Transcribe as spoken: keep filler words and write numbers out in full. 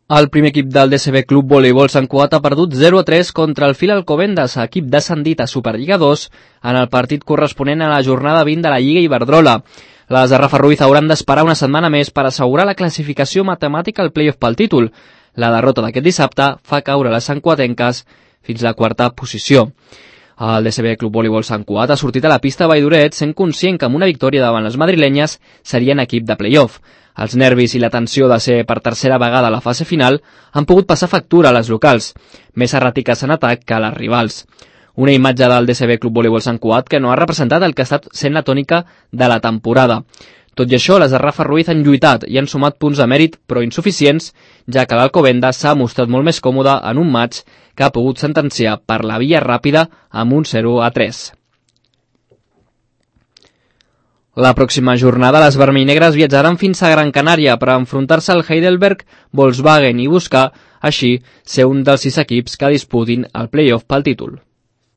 El primer equip del D C B Club Voleibol Sant Cugat ha perdut zero a tres contra el Fil Alcobendas, equip descendit a Superliga dos, en el partit corresponent a la jornada vint de la Lliga Iberdrola. Les de Rafa Ruiz hauran d'esperar una setmana més per assegurar la classificació matemàtica al play-off pel títol. La derrota d'aquest dissabte fa caure les santcuatenques fins a la quarta posició. El D C B Club Voleibol Sant Cugat ha sortit a la pista a Valldoret sent conscient que amb una victòria davant les madrilenyes serien equip de play-off. Els nervis i la tensió de ser per tercera vegada a la fase final han pogut passar factura a les locals, més erràtiques en atac que a les rivals. Una imatge del D C B Club Voleibol Sant Cugat que no ha representat el que ha estat sent la tònica de la temporada. Tot i això, les de Rafa Ruiz han lluitat i han sumat punts de mèrit, però insuficients, ja que l'Alcobendas s'ha mostrat molt més còmode en un match que ha pogut sentenciar per la via ràpida amb un zero a tres. La pròxima jornada, les vermellnegres viatjaran fins a Gran Canària per enfrontar-se al Heidelberg Volkswagen i buscar, així, ser un dels sis equips que disputin el play-off pel títol.